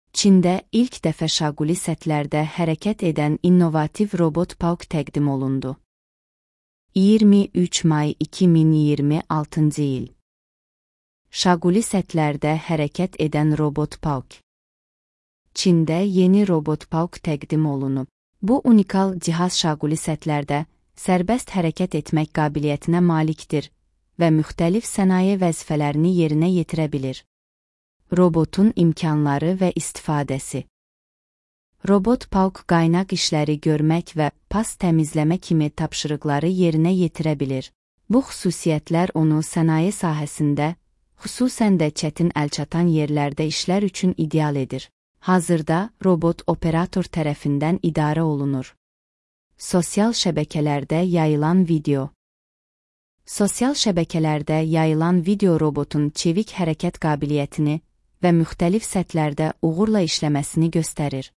Çində ilk dəfə şaquli sətlərdə hərəkət edən innovativ robot Pauk təqdim olundu. 23 may 2026-cı il. Şaquli sətlərdə hərəkət edən robot Pauk. Çində yeni robot Pauk təqdim olunub. Bu unikal cihaz şaquli sətlərdə sərbəst hərəkət etmək qabiliyyətinə malikdir və müxtəlif sənaye vəzifələrini yerinə yetirə bilir. Robotun imkanları və istifadəsi. Robot Pauk qaynaq işləri görmək və pas təmizləmə kimi tapşırıqları yerinə yetirə bilir. Bu xüsusiyyətlər onu sənaye sahəsində, xüsusən də çətin əlçatan yerlərdə işlər üçün ideal edir. Hazırda robot operator tərəfindən idarə olunur. Sosial şəbəkələrdə yayılan video. Sosial şəbəkələrdə yayılan video robotun çevik hərəkət qabiliyyətini və müxtəlif səthlərdə uğurla işləməsini göstərir.